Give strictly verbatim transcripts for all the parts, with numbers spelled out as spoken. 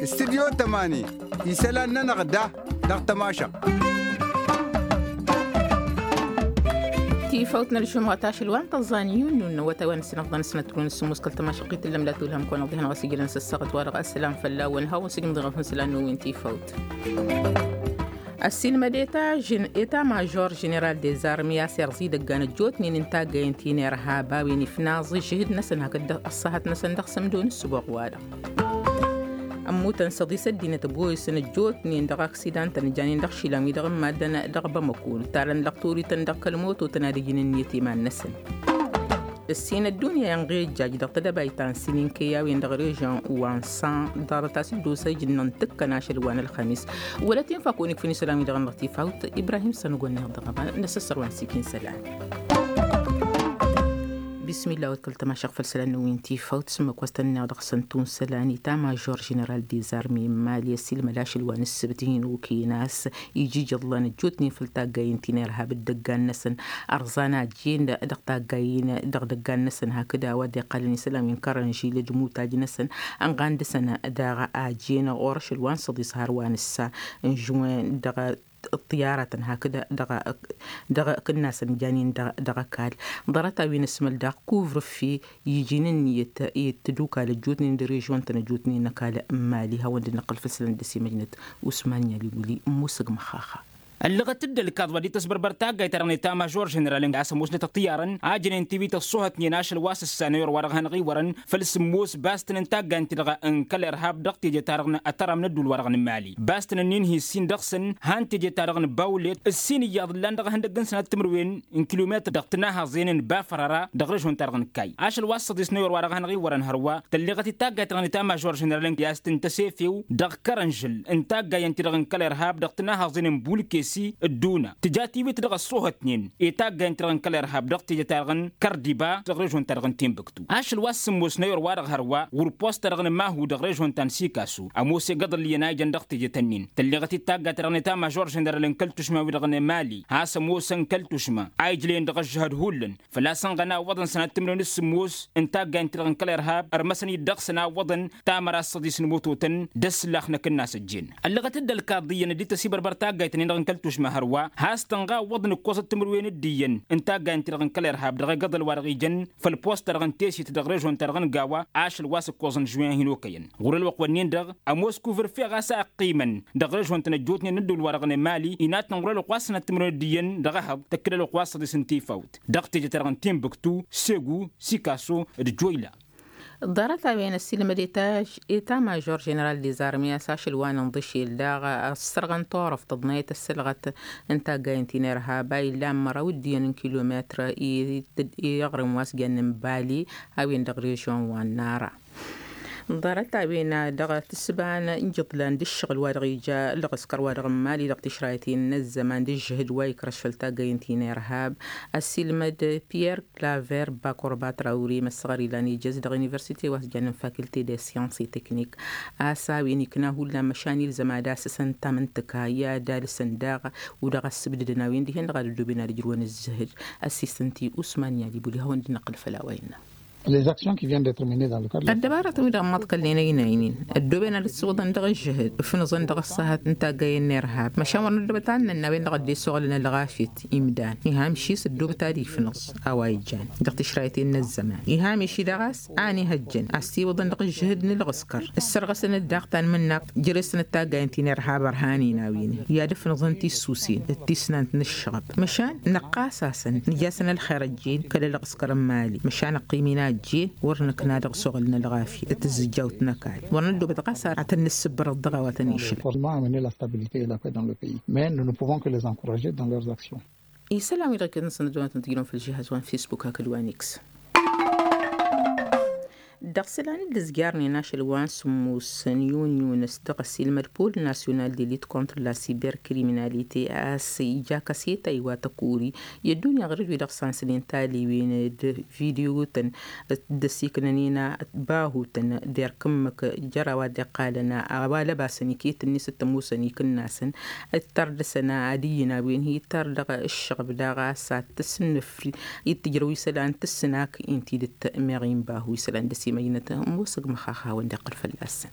Studyo tămani isălan-nănăɣ da dăɣ-tămašăɣt. Tifawt n-ălžumɣăt ašăl wa n-tăẓẓan yunnu n-awătay wa n-ăssinăɣḍăn s-nătrun s-sǝmmus kăl-tămašăɣt i-tǝllăm la tulhăm kăwăn-ăɣḍihăn ɣas ijlăn s-ăssaɣăt wa dăɣ-asălam fălla-wen hawăn s-ijmǝḍ iɣăfun s-lan n-uwin tifawt. Ăssiilmăd eta mažor ženeral dezarmi a-s irẓa idăggan ăjjootnen n-taggayen ti n-irhab a-wen ifnaẓ ǝžžǝhǝd-năsăn hakd ăṣṣahăt-năsăn dăɣ-sămdo n-ǝssǝboɣ-wa-dăɣ. Ămmutăn s-ăḍis ăddinăt ăboyǝsăn ăjjootnen dăɣ-aksidan-tăn ǝjanen dăɣ-išilan-wi-dăɣ n-maddăn dăɣ-bamăko ǝttalăn lăqturităn dăɣ-kăl-mototăn ad-ǝjǝn ǝnniyăt iman-năsăn. Ǝssin ăddunya inɣijjaj dăɣ-tedăbayt ta n-sininkey a-wen dăɣ-režyon wa n-san ḍarăt a-s dd-osa ijǝnnăn tǝkkăn ašăl wa n-ălxămis. Wălăt infa kăwăn-ikfǝn isălan-wi-dăɣ n-dăɣ tifawt ibrahim s-ănugănneɣ dăɣ-aman n-asǝssăr wa n-sikin isălan. Bismillah wăt kăl-tămašăɣ făll-isălan n-wi n-tifawt s-ǝmmǝk wa s-tăn-inneɣ dăɣ-săn tunsa lan i-tamajor ženeral dezarmi n-mali ăssiilmăd ašăl wa n-ǝssǝbt hin-okăyăn a-s iji jăḍlan ăjjootnen făll-taggayen ti n-irhab d-dăggan-năsăn. Ărẓan ajen dăɣ-taggayen dăɣ-dăggan-năsăn hakd a-wa dd-iqqalăn isălan wi n-kărănžil d-imutaj-năsăn ănɣan dăɣ-săn daɣ ajen ɣur-ašăl wa n-săḍis har wa n-ǝssa n-žuwen dăɣ-ăṭṭiyaratăn hakd dăɣ-kǝnnasăn janin dăɣ-ăkall. Ḍarăt-a-wen ăsmăl daɣ kuvrǝffi iji n-ǝnniyăt i-tǝdukal ăjjootnen d-režyon-tăn ăjjootnen n-ăkall n-mali hawăn-dd-năqqǝl făll-isălan dăr-s imăjnăt usman yalibuli n-musǝg măxxaxa. Ăllăɣăt-dd ălkaḍ wa dd-tăsbărbăr taggayt-ta-dăɣ n-eta mažor ženeral a-s ămoosnăt ăṭṭiyarăn a jănen tiwit ăṣṣuhătnen ašăl wa s-ǝssanăy orwa dăɣ-hanăɣ-iwărăn făll-sǝmmos bastăn n-taggayt-ti-dăɣ n-kăl-irhab dăɣ-teje-ta-dăɣ n-ătărăm n-ădduul-wa-dăɣ n-mali bastăn-nin hi-ǝssin dăɣ-săn han teje-ta-dăɣ n-bawlet ǝssin iyyăḍ ǝllan dăɣ-ihăndăgg n-sănat timǝrwen n-kilometăr dăɣ-tǝnahăẓen n-bafărăra dăɣ-režon-ta-dăɣ n-kay ašăl wa s-săḍisnăy orwa dăɣ-hanăɣ-iwărăn hărwa tălleɣăt-dd taggayt-ta-dăɣ n-eta mažor ženeral i-a-s tǝntăsefew dăɣ-kărănžǝl n-taggayen-ti-dăɣ n-kăl-irhab dăɣ-tǝnahăẓen n-bulkesi d-duna tǝja tiwit dăɣ-ăṣṣuhătnen i-taggayen-ti-dăɣ n-kăl-irhab dăɣ-teje-ta-dăɣ n-kărdiba dăɣ-režon-ta-dăɣ n-tinbǝktu ašăl wa s-sǝmmosnăy orwa-dăɣ hărwa ɣur-post-ta-dăɣ n-mahu dăɣ-režon ta n-sikasu ămoos egăḍ ǝlliyăn a ijăn dăɣ-teje-tăn-in tălleɣăt-dd taggayt-ta-dăɣ n-eta mažor ženeral n-kăl-tušma-wi-dăɣ n-emali has-ămoosăn kăl-tušma a ijlăyăn dăɣ-ăžžăhăd hullan făl-a-s ănɣăn a ǝwwăḍăn sănat timǝrwen s-sǝmmos n-taggayen-ti-dăɣ n-kăl-irhab ărmăsăn-dd dăɣ-săn a ǝwwăḍăn tamăra s-săḍis n-imototăn d-ăssǝllax-năk ǝnnas ăjjeen. Ăllăɣăt-dd ălkaḍ iyyăn dd-tăsibărbăr taggayt-nin-dăɣ n-kăl-tušma hărwa has-tănɣa ǝwwăḍăn ǝkkoẓăt timǝrwen d-iyyăn n-taggayen-ti-dăɣ n-kăl-irhab dăɣ-egăḍăl wa dăɣ-ijăn făll-post-ta-dăɣ n-tesit dăɣ-režon-ta-dăɣ n-gawa ašăl wa s-ǝkkoẓăn žuwen hin-okăyăn ɣur-ălwăqq-wǝnnin-dăɣ ămoos kuvǝrfe ɣas a ăqqimăn dăɣ-režon-tăn ăjjootnen n-ădduul-wa-dăɣ n-emali inatnăn ɣur-ălwăqq wa s-sănat timǝrwen d-iyyăn dăɣ-ehăḍ tăkk-dd ălwăqq wa s-săḍis n-tifawt dăɣ-teje-ta-dăɣ n-tinbǝktu segu sikaso d-joyla. Ḍarăt-a-wen ăssiilmăd eta mažor ženeral dezarmi a-s ašăl wa n-inḍǝšel daɣ ăssărɣăn turăft tăḍnayăt ăssălɣăt n-taggayen ti n-irhab a illan măraw d-iyyăn n-kilometr i-aɣrǝm wa s-jannen bali a-wen dăɣ-režyon wa n-nara. Ḍarăt-a-wen dăɣ-tǝssǝba n-ijǝḍlan d-ǝššăɣǝl wa dăɣ-ija ălɣǝskăr wa dăɣ-n mali dăɣ-tišrayăt-in n-ăzzăman d-ǝžžǝhǝd wa ikrăš făll-taggayen ti n-irhab ăssiilmăd pierre claver bakorba trawri măssăɣăr ilan ijăz dăɣ-universite wa s-jannen faculté des sciences et techniques a-s a-wen ikna hullan măšan ilzăm ad-asǝsăn tamǝntǝka i-ad-alǝsăn daɣ u-dăɣ ăssǝbdǝdăn a-wen dihen dăɣ-ad-ăddoben ad-ǝjrǝwăn ǝzzǝhǝd. Ăssiisăn ti usman yalibuli hawăn-dd-năqqǝl făll-a-wa innă. Ăddăbaratăn-wi-dăɣ n-imaḍkălnen ăynaynen ăddooben ad-ăssiwǝḍăn dăɣ-ǝžžǝhǝd ǝfnǝẓăn dăɣ-ăṣṣahăt n-taggayen n-irhab măšan wăr năddobăt ad-nănn a-wen-dăɣ ăddessoɣlăn ălɣafyăt imdan iha amšis ăddoobăt ad-ifnǝẓ a-wa ijjan dăɣ-tišrayăt-in n-ăzzăman iha ameš-i-dăɣ a-s a ănihăjjăn ăssiwǝḍăn dăɣ-ǝžžǝhǝd n-ǝlɣǝskăr ǝssărɣăsăn-dd daɣ tanmǝnnaɣt jere-săn d-taggayen ti n-irhab ărhanen a-wen i-ad-ǝfnǝẓăn tissusen d-tisnant n-ǝššăɣăb măšan năqqas-asăn nǝj'-asăn ălxer ăjjeen kăl-ălɣǝskăr n-imali măšan ăqqim-in a ăjjeen wăr năkna dăɣ-s oɣǝl n-ălɣafyăt d-tǝzzǝjjawt n-ăkall wăr năddoobăt ɣas ad-tăn-nǝssǝbbărăḍ dăɣ-a-wa tăn-išlăn. Isălan-wi-dăɣ kăl-năsăn ăddăwănăt n-tijlăm făll-žihaz wa n-facebook hakd wa n-x. Dăɣ-isălan d-ǝzjarnen ašăl wa n-sǝmmos n-yun-yun s-dăɣ-ăsilmăd pol nasyonal de lit kontr la siberkriminalite a-s ija kăseta iwa tăkori i-ăddunya ɣur-dd wi-dăɣ sansănen taliwen d-video-tăn d-ăsiknănen bahutăn derk ǝmmǝk jăr a-wa dd-iqqalăn a-wa lăbasăn iket-net s-tămoosăn ikǝnnasăn d-tărdăsăn ad-iyyăn a-wen hi-tăr dăɣ-ǝššăɣb daɣ a-s ad-tǝsnǝfri i-tǝjrăw isălan tǝssǝnak-in tidǝt meɣ inbahu isălan dăr-s imăjnăt ămoosăg măxax a hawăn-dd-iqqăl fălla-săn.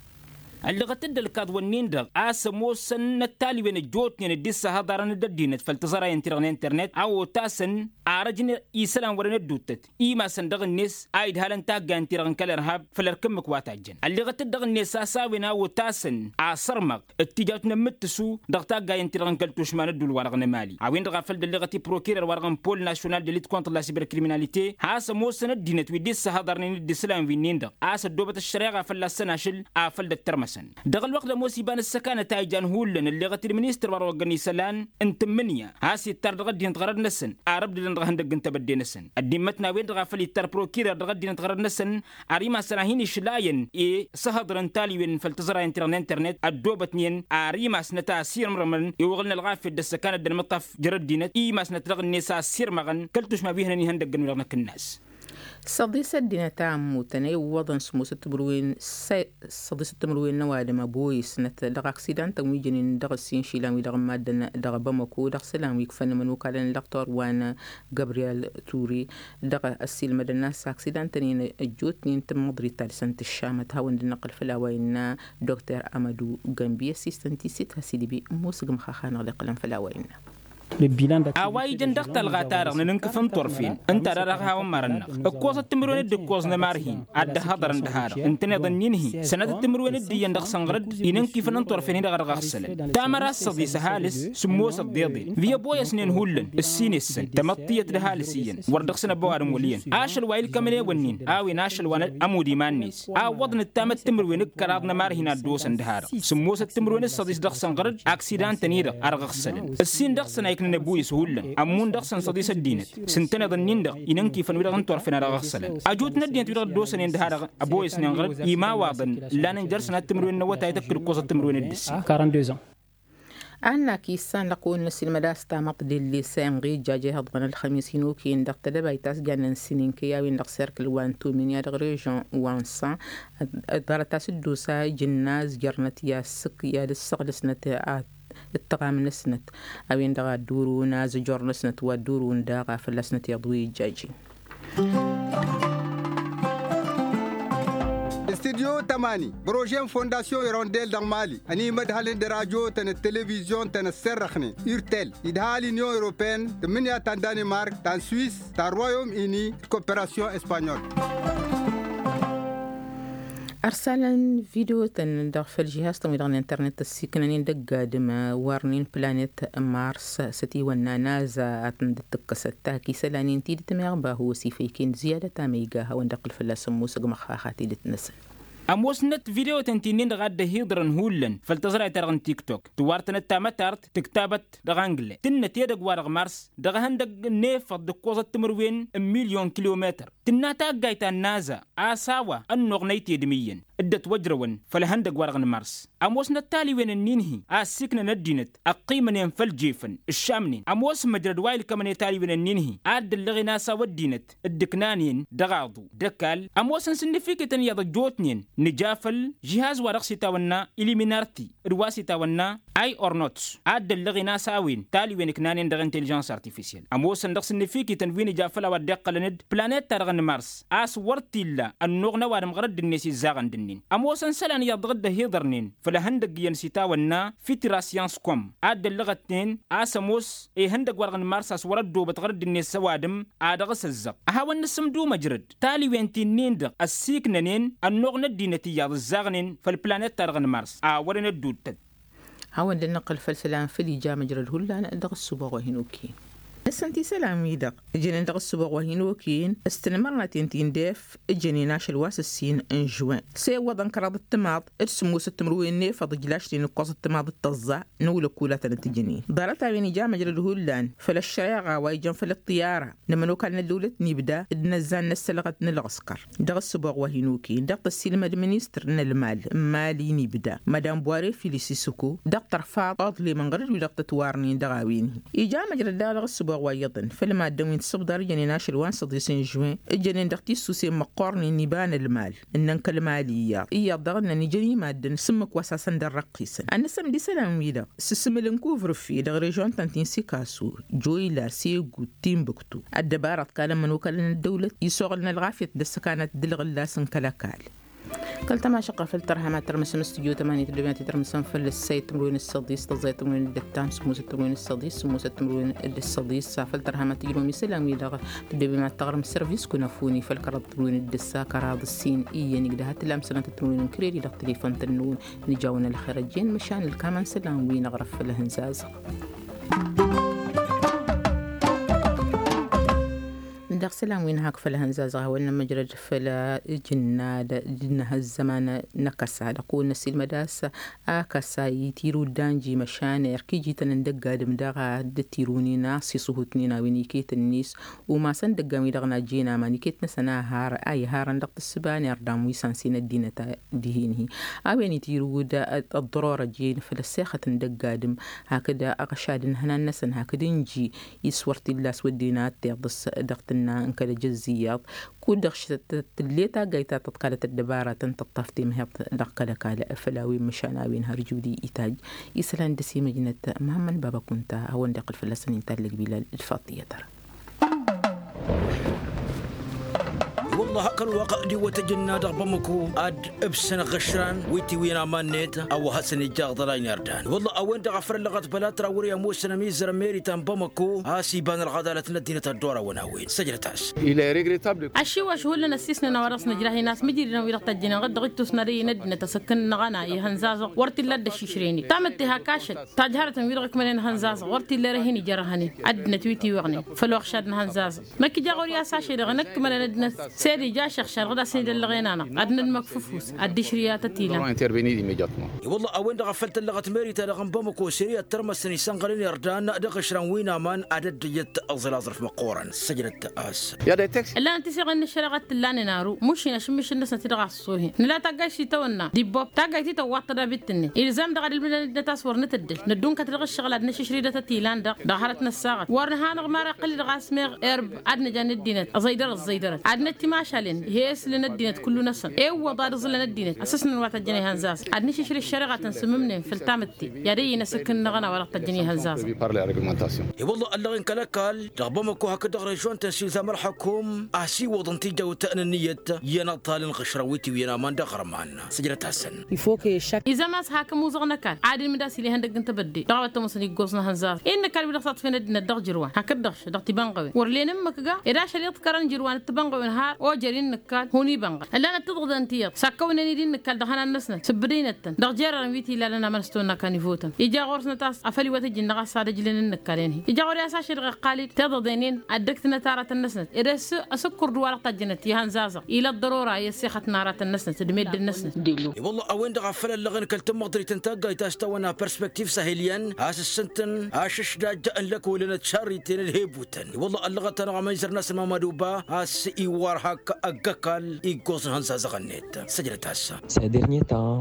Ălliɣăt-dd ălkaḍ-wǝnnin-dăɣ a-s ămoosăn n-ăttalwen ăjjootnen dd-issăhăḍarăn d-ăddinăt făll-tǝẓrayăn-ti-dăɣ n-internet a otasăn arăj n-isălan wărăn ădduuttăt imasăn dăɣ-net a idhalăn taggayăn-ti-dăɣ n-kăl-irhab făll-ărk ǝmmǝk wa tajjăn ălliɣăt-dd dăɣ-net a-s a-wen a otasăn asărmăɣ d-tijawt n-ămmǝttǝsu dăɣ-taggayăn-ti-dăɣ n-kăl-tušma n-ădduul-wa-dăɣ n-emali a-wen-dăɣ a făl dd-ălliɣăt i-prokirer-wa-dăɣ n-pol nasyonal de lit kontr la siberkriminalite has-ămoosăn ăddinăt wi dd-issălan wi-nin-dăɣ a-s ăddoobăt ăššăreɣa fălla-săn ašăl afăl dd-ăttărmăsăn. Dăɣ-ălwăqq d-ămoos iba n-ǝssăkanăt a ijan hullan ălleɣăt-dd ministăr wa dăɣ-oggăn isălan n-tǝmmǝnǝya has-ittar dăɣ-ăddinăt ɣărăd-năsăn ar ǝbdǝdăn dăɣ-ihăndăgg n-tebădde-năsăn ăddimmăt n-a-wen-dăɣ a făl ittar prokirer dăɣ-ăddinăt ɣărăd-năsăn ar imasăn a hin-išlayăn i-săhăḍrăn taliwen făll-tǝẓrayăn-ti-dăɣ n-internet ăddoobătnen ar imasnăt a sirǝmrǝmăn i-uɣǝl n-ălɣafyăt d-ăssăkanăt d-ănmǝṭṭaf jer-ăddinăt i-imasnăt dăɣ-net a sirmăɣăn kăl-tušma wi hănen ihăndăggăn-wi-dăɣ n-akǝnnas. Săḍisăt dinăt a ămmutăn a iwwăḍăn s-musăt timǝrwen s-săḍisăt timǝrwen n-ăwadǝm ăboyǝsnăt dăɣ-aksidantăn wi jănen dăɣ-ǝssin išilan wi-dăɣ n-maddăn dăɣ-bamăko dăɣ-isălan wi ikfăn imănokalăn n-lăqtor wa n-gabriyel ture dăɣ-ăssiilmădăn a-s aksidantăn-in ăjjootnen tǝmmăḍrit ta dăɣ-săn tǝššamăt hawăn-dd-năqqǝl făll-a-wa innă dokter amădu gănbi ăssiistăn tisit has-idǝbi ămoosăg măxax-anăɣ dd-iqqălăn făll-a-wa innă. A-wa ijăn dăɣ-talɣa-ta-dăɣ n-inǝnkǝf n-turfen ǝnta a dăɣ-hawăn-marăn-năɣ ǝkkoẓăt timǝrwen d-ǝkkoẓ n-ămarhin ad-dd-ăhhăḍărăn d-ha-dăɣ ǝntăneḍ ǝnnin-hi sănatăt timǝrwen d-iyyăn dăɣ-sănɣărăd inǝnkifăn n-turfen-hi-dăɣ a dăɣ-aɣsălăn. Tamăra s-săḍis ăhalǝs sǝmmosăt d-iḍen wi ăboyăsnen hullan ǝssin-esăn tamăḍt tiyyăt d-ăhalǝs iyyăn wăr dăɣ-săn ăbba ăwadǝm wăl' iyyăn ašăl wa ilkămăn ewănnin a-wen ašăl wa n-amud iman-net a ǝwwăḍnăt tamăt timǝrwen d-kăraḍ n-ămarhin a dd-osăn d-ha-dăɣ sǝmmosăt timǝrwen d-săḍis dăɣ-săn ɣăr-dd aksidantăn-i-dăɣ a dăɣ-ăɣsălăn ǝssin dăɣ-săn a iknăn ăbuyǝs hullan ămmun dăɣ-săn săḍis ăddinăt s-ǝntăneḍ ǝnnin-dăɣ inǝnkifăn wi-dăɣ n-turfen a dăɣ-ăɣsălăn ăjut n-ăddinăt wi-dăɣ dd-osănen d-ha-dăɣ ăboyăsnen ɣăr-dd imawaḍăn ǝllanăn jer-săn ad-timǝrwen n-awătay tăkk d-ǝkkoẓăt timǝrwen d-ǝssin. Annak issan lăqqun n-asilmăd a-s tamăḍt d-ellesa inɣijjaj ihăḍmăn ălxămis hin-okăyăn dăɣ-tedăbayt a-s jannen sininkăy a-wen dăɣ-serkǝl wa n-tumin i-ad-dăɣ režon wa n-san ḍarăt a-s dd-osa ijǝnna azjărnăt i-ad-sǝk i-ad-ǝssăɣlăsnăt ad-tăɣam-năsnăt a-wen-dăɣ ad-dd-urǝwăn azǝjor-năsnăt wa dd-urǝwăn daɣ a fălla-snăt iyyăḍ wi ijjajin. Studyo tămani bărožen fondasyon irondel dăɣ-mali ănimădhălăn d-rajotăn d-televizyon-tăn ăsserrăxnen urtel idhal inyon europeen tǝmmǝnǝya ta n-danimark ta n-swis ta n-royom ini d-koperasyon espanyol. Ărsalăn video-tăn dăɣ-făll-žihaz-tăn wi-dăɣ n-internet ăssiiknănen d-ăgg-adǝm wărnen planet mars s-ătiwănna naza ad-tăn-dd-tǝkkăsăt tak isălan-in tidǝt meɣ bahu ăsifăyken ziyadăt amăyga a hawăn-dd-iqqǝl fălla-s ămoosăg măxxax a tidǝt-năsăn. Ămoosnăt video-tăn ti-nin-dăɣ a dd-ăhiḍărăn hullan făll-tăẓrayt-ta-dăɣ n-tiktok tǝwwartănăt tamătart tǝktabăt dăɣ-angle tǝnnăt edăgg-wa-dăɣ mars dăɣ-ehăndăg n-efăḍ d-ǝkkoẓăt timǝrwen n-milyon kilometăr tǝnna taggayt ta n-naza a-s a-wa ănnuɣnăy tedǝm iyyăn dd-ătwăjrăwăn făll-ehăndăg-wa-dăɣ n-mars. Ămoosnăt taliwen ǝnnin-hi a ăssiiknăn ăddinăt ăqqimănen făll-jefăn ǝššamnen ămoos măjrăd wa ilkămăn i-taliwen ǝnnin-hi a dd-ăllăɣen a-s a-wa ăddinăt dd-ǝknanen dăɣ-aḍu d-ăkall ămoosăn s-ǝnnǝfikităn iyyăḍ ăjjootnen nǝja făll-žihaz wa dăɣ-s itawănna iliminarti d-wa s-itawănna i-ornots a dd-ăllăɣen a-s a-wen taliwen ǝknanen dăɣ-inteližăns artificiel ămoosăn dăɣ-s ǝnnǝfikităn wi nǝja făll-a-wa dd-iqqălăn d-planet-ta-dăɣ n-mars a-s wăr t-illa ănnuɣ n-ăwadǝm ɣărădd-net izzăɣăn d-ǝnnin ămoosăn isălan iyyăḍ dăɣ-dd-ăhiḍărnen făll-ehăndăgg iyyăn s-itawănna fitirasyan s-kom a dd-ăllăɣătnen a-s ămoos ihăndăgg-wa-dăɣ n-mars a-s wăr-ăddoobăt ɣărădd-net s-ăwadǝm ad-dăɣ-s ăzzăɣ ad-hawăn-nǝsǝmdu măjrăd taliwen ti-nin-dăɣ ăssiiknănen ănnuɣ n-ăddinăt iyyăḍ ǝzzaɣnen făll-planet-ta-dăɣ n-mars a wărăn ădduuttăt. Hawăn-dd-nǝqqǝl făll-isălan făll-ija măjrăd hullan dăɣ-ăssubăɣ wa hin-okăyăn. Ăssăn tisălan-wi-dăɣ ǝjănen dăɣ-ăssuboɣ wa hin-okăyăn s-tinmărnaten ti n-def ǝjănen ašăl wa s-ǝssin n-žuwen s-e ǝwwăḍăn kăraḍ ǝttǝmaḍ d-sǝmmosăt timǝrwen n-efăḍ ǝjlašnen ǝkkoẓ ǝttǝmaḍ d-tăẓẓa n-ewlăkul a tăn-ătǝjǝnen. Ḍarăt-a-wen ija măjrăd hullan făll-ăššăreɣa wa ijăn făll-ăṭṭiyara n-ămănokal n-ăddăwlăt n-ibda d-inăzzan n-ăssălɣăt n-ălɣǝskăr dăɣ-ăssuboɣ wa hin-okăyăn dăɣ-tăssilmăd ministăr n-ălmal n-mali n-ibda madam bware filisisǝko dăɣ-tărfaḍ aḍlem n-ɣărăd wi-dăɣ tătwarnen dăɣ-a-wen-hi. Ija măjrăd daɣ dăɣ-ăssuboɣ wa iyyăḍăn făll-maddǝn wi n-tisǝbḍar ǝjănen ašăl wa n-săḍis n-žuwen ǝjănen dăɣ-tissuse n-măqqornen iba n-ălmal ǝnnăn kăl-mali iyyăḍ iyyăḍ daɣ ǝnnăn ijăn i-maddǝn s-ǝmmǝk wa s-asăn d-ărrăqqisăn ad-nǝsǝmd isălan-wi-dăɣ s-asǝmǝl n-kuvrǝfi dăɣ-režon-tăn ti n-sikasu joyla segut timbuktu ăddăbaraḍ kal ămmănokal n-ăddăwlăt isoɣǝl n-ălɣafyăt d-ăssăkanăt d-ǝlɣǝllas n-kăl-ăkall. Kăl-tămašăɣt ɣăr făll-tărham ad-tărmǝsăm stujo tămani tăddoben ad-t-tărmǝsăm făll-ăssayăt timǝrwen d-săḍis tăẓẓayăt timǝrwen d-ăttan sǝmmosăt timǝrwen d-ăssăḍis sǝmmosăt timǝrwen d-ăssăḍis. Făll-tărham ad-tǝjrǝwăm isălan-wi-dăɣ tăddoben ad-tăɣrǝm sărvis kunăfuni făll-kăraḍ timǝrwen d-ǝssa kăraḍ ǝssin iyyăn igdăh ad-tǝlam sănatăt timǝrwen n-kredi dăɣ-telefon-tăn-năwăn. Nǝja-wăn ălxer ăjjeen măšan ǝlkamăn isălan-wi-năɣ răf făll-ehăn zazăɣ. Dăɣ-isălan-wi-năhak făll-ehăn zazăɣ a hawăn-nămăjrăd făll-ijǝnnad d-inăhăzzăman n-akăsa dăɣ-kăwăn-năsilmăd a-s akăsa itirud d-anji măšan erk iji-tăn n-dăgg-adǝm daɣ a dd-tirunin a-s isǝhutnen a-wen iket-net umasăn dăggan-wi-dăɣ n-ajjen aman iket-năsăn a iharăn dăɣ-tǝssǝba n-irdan wi s-ansen ăddinăt dihen-hi. A-wen itirud ăḍḍăror ăjjeen făll-ăssexăt n-dăgg-adǝm hakd aɣăšad n-ihănan-năsăn hakd ǝnji iswăr t-illa a-s wădden ad-t-iḍǝs dăɣ-tǝnna n-kăl-ejăzz iyyăḍ. Kud-dăɣ tǝlle taggayt ta tăḍkalăt ăddăbaratăn tăṭṭaf temheḍt dăɣ-kăl-ăkall făll-a-wen măšan a-wen har judi itajj. Isălan dăr-s imăjnăt măhămmăn baba kunta a hawăn-dd-iqqǝl fălla-săn inta ăllăgbilal d-faḍt iyyăt ara. I-wălla hakd ălwăqq d-iwwăt ăjǝnna dăɣ-bamăko ad-ǝbsăn aɣăšran wi tiwǝyăn aman-net a-wa hasăn-ija aḍălay n-irdan. I-wălla a-wen-dăɣ a făl ăllăɣăt băla trawări ămoosăn ămizăr n-meritan bamăko a-s iba n-ălɣădalăt n-ăddinăt ăddoor-awăn a-wen săjdăt-as. Ăššiwăš hullan ăssiisnen a-wa dăɣ-s nǝjrah-in a-s mǝjridăn wi-dăɣ tăjjănen ɣǝd-dăɣ ittus n-ad-ăyy n-ăddinăt asǝkkǝn n-ăɣana ihănzazăɣ wăr t-illa a dd-ăššišrăynen tamǝtte hak ašăl tajhărătăn wi-dăɣ ǝkmănen ihănzazăɣ wăr t-illa erăh-in ijărăhănen. Ăddinăt wi tiwăɣnen făll-oɣšad n-ihănzazăɣ năkk ija ɣur-i a-s ašăl-i-dăɣ năkk mălăn ăddinăt s-ed ija ašăɣšad ɣǝd a-s nǝdăllăɣen-anăɣ ad-nǝdmăkfǝf wi-s ad-dd-išrǝy a tăt-ilan. I-wălla a-wen-dăɣ a făl tăllăɣăt meri-ta-dăɣ n-bamăko s-ere ad-tărmăsăn isănɣălăn irdan dăɣ-išran wi n-aman ad-ăddăjăt aẓǝl aẓrǝf măqqoorăn săjdăt-as. Ǝllanăt tiseɣen n-ăššăreɣa t-tǝllanen aru mušin ašǝmmišǝl-năsnăt-i-dăɣ a ăṣṣoohen nǝla taggayt ti tăwănna d-ibbop taggayt ti tăwwaḍ tădabit-net ilzam-dăɣ ad-ǝlmǝdăn ăddinăt a-s wăr nǝtǝddǝl năddunkăt dăɣ-ǝššăɣǝl ad-năšǝšrǝy d-atăt ilan-dăɣ dăɣ-hărăt n-ăssaɣăt wăr nǝha-năɣ mara iqqăl-i-dăɣ a-s meɣ erb ad-nǝja n-ăddinăt ăẓăydărăt ăẓăydărăt ad-năt timašalen i-he-ăslǝn ăddinăt kullu-năsăn e-ǝwwăḍ ad-ǝẓǝlăn ăddinăt ăssăsnăn wa tăjjăn ihănzazăn ad-nǝšǝšrǝy ăššăreɣa tăn-sǝmmǝmnen făll-tamǝtte i-ad-ăyy n-asǝkkǝn n-aɣăna wa dăɣ-tăjjăn ihănzazăn. I-wălla ăllăɣen kăl-ăkall dăɣ-bamăko hakd dăɣ-režion-tăn s-ilzam ălḥăkum a-s iwwăḍăn tijawt n-ǝnniyăt i-ănăḍḍal n-iɣǝšrăn wi tiwǝyăn aman dăɣ-iɣărman sǝjdăt-asăn. Izam a-s hak ămuzăɣ n-ăkall ad-ilmǝd a-s ila ihăndăgg n-tebădde dăɣ-a-wa t-ămoosăn iggoẓ n-ahănzar i n-ăkall wi-dăɣ s-aṭṭfen ăddinăt dăɣ-jărwan hakd-dăɣ dăɣ-tibănɣăwen wăr len ǝmmǝk ga ed ašăl iḍkărăn jărwan d-tibănɣăwen har ojăr-in n-ǝkall hun ibănɣăl ǝllanăt tiḍăḍen ti iyyăḍ sakkăwnen-dd i n-ǝkall dăɣ-ihănan-năsnăt sǝbbǝdăynăt-tăn dăɣ-jerrărăn wi t-ilalăn aman s-tăwănna kanivotăn ija ɣur-snăt a-s afăl iwăt ǝjǝn-dăɣ a-s ad-ăjlǝn n-ǝkall-en-hi ija ɣur-i a-s ašăl-dăɣ iqqal-dd tiḍăḍen-in ad-dd-ǝktǝnăt aratăn-năsnăt ed ăsǝkkur d-wa-dăɣ tajjănăt i-ihănzazăɣ ila ăḍḍărora i-ăssexăt n-aratăn-năsnăt d-meddǝn-năsnăt. I-wălla a-wen-dăɣ a făl ăllăɣen kăl-tămmăḍrit n-taggayt a-s tawănna perspektiv sahiliyăn a-s ǝssǝntăn ašǝšdaj n-lăkolăn d-hebutăn i-wălla ăllăɣăt-anăɣ amăyzăr n-asǝmamad uba a-s iwwar hak ăgg-ăkall iggoẓ n-ihănzazăɣ-net săjdăt-as.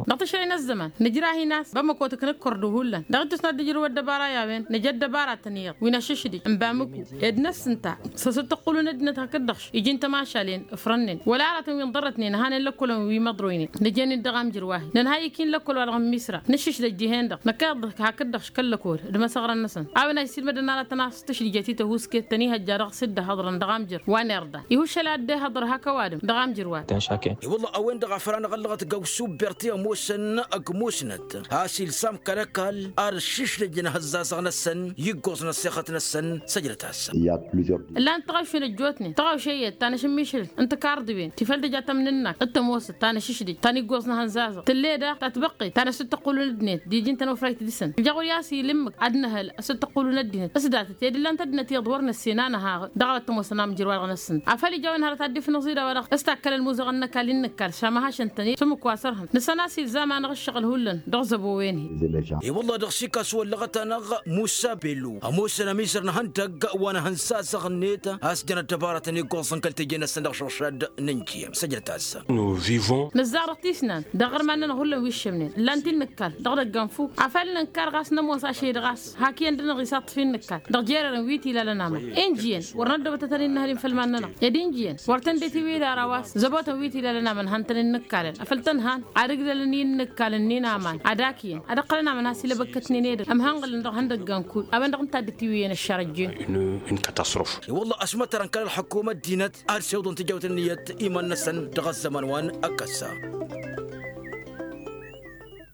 Dăɣ-tǝšrăy n-ăzzăman nǝjrah-in a-s bamăko tǝknǝkkăr d-uhullan dăɣ-ittus n-ad-dd-ǝjrǝw ăddăbara i-a-wen nǝja ăddăbaratăn iyyăḍ wi n-ašǝšdǝj n-bamăko ed năssǝnta s-asǝttǝqqǝlun ăddinăt hakd-dăɣ iji n-tămašalen ǝfrănnen wăla-arătăn wi n-ḍărrătnen ăhanen lăkkolăn wi măḍroynen nǝjăn-dd dăɣ-amjăr wa-hi nǝnhăy ikǝy n-lăkkol-wa-dăɣ n-misra nǝššǝšdăj dihen-dăɣ năkk iḍǝk hakd-dăɣ škăl-lăkkol d-imăsăɣrăn-năsăn a-wen a isilmădăn aratăn a-s tǝšdǝjăt i-tăhusket tăn-ihăjja dăɣ-s dd-ăhăḍrăn dăɣ-amjăr wa n-irḍa ihuššăl ad-dd-ehăḍăr hak ăkk ăwadǝm dăɣ-amjǝrwad. I-wălla a-wen-dăɣ a făl anăɣ-ăllăɣăt găw subber ti ămoosăn ăgg musnăt a-s ilsam kăl-ăkall ad-ăššišlǝjăn ihăzzazăɣ-năsăn i-ǝggoẓ n-ăssexăt-năsăn. Săjdăt-as. Ǝllan-t tăɣawšen ăjjootnen tăɣawše iyyăt ta n-ašǝmmišǝlǝl n-tǝkarḍǝwen ti făl d-ija tămnǝnnakt d-tămoosăt ta n-ašǝšdǝj ta n-iggoẓ n-ehănzazăɣ tǝlle daɣ ta tibăqqet ta n-asǝttăqqulun ăddinăt d-iji n-tănofrayt dăɣ-săn ija ɣur-i a-s ila ǝmmǝk ad-nǝhăl asǝttăqqulun ăddinăt s-datăt ed ǝllan-t ăddinăt iyyăḍ wăr nǝssen a nǝhaɣ dăɣ-a-wa t-ămoosăn amjǝrwa-dăɣ-năsăn. Afăl ija a-wen hărăt ad-dd-ifnǝẓ-dd a-wa-dăɣ s-takkălăn muzăɣăn n-ăkall-in n-ǝkkal šamăhašăn-tăn-i s-ǝmmǝk wa sărhăn nǝsăn a-s ilzam-anăɣ ǝššăɣǝl hullan dăɣ-zăbo-wen-hi. Iwălla dăɣ-s ikas wăllăɣăt-anăɣ musa bellu ămoosăn ămizăr n-ehăndăgg wa n-ehănzazăɣ-net a-s jăn ăddăbarătăn iggoẓăn kăl-teje-năsăn dăɣ-išǝɣšad n-injǝyăm săjdăt-as. Nǝzzar dăɣ-tisnan dăɣ-iɣărman-nănăɣ hullan wi ǝššămnen ǝllan-t-in nǝkkal dăɣ-idăggan fuk afăl nǝnkar ɣas n-ămoos ašăl-i-dăɣ a-s hak iyyăn dăɣ-năɣ isaṭṭǝf-in nǝkkal dăɣ-jer-erăn wi t-ilalăn aman. Injǝyăn wăr năddăbătătăn innăhăl infăl iman-nănăɣ ed injǝyăn wăr tăn-dd-itiwǝy dara wa s-zăbotăn wi t-ilalăn aman han-tăn-in-nǝkkalăn afăl tăn-han ad-ǝgdălăn i-inǝkkalăn-nin aman ad-ak iyyăn ad-ǝqqălăn aman has-ilăbăkkătnen edăgg ămhănɣǝlăn dăɣ-ihăndăggan kull a-wen-dăɣ ǝnta-dd-itiwǝyăn ăššarăjjen. Une catastrophe. I-wălla ăšmătărăn kăl-ălxǝkum ăddinăt ad-sewḍăn tijawt ǝnniyăt iman-năsăn dăɣ-ăzzăman wa n-ăkkăssa.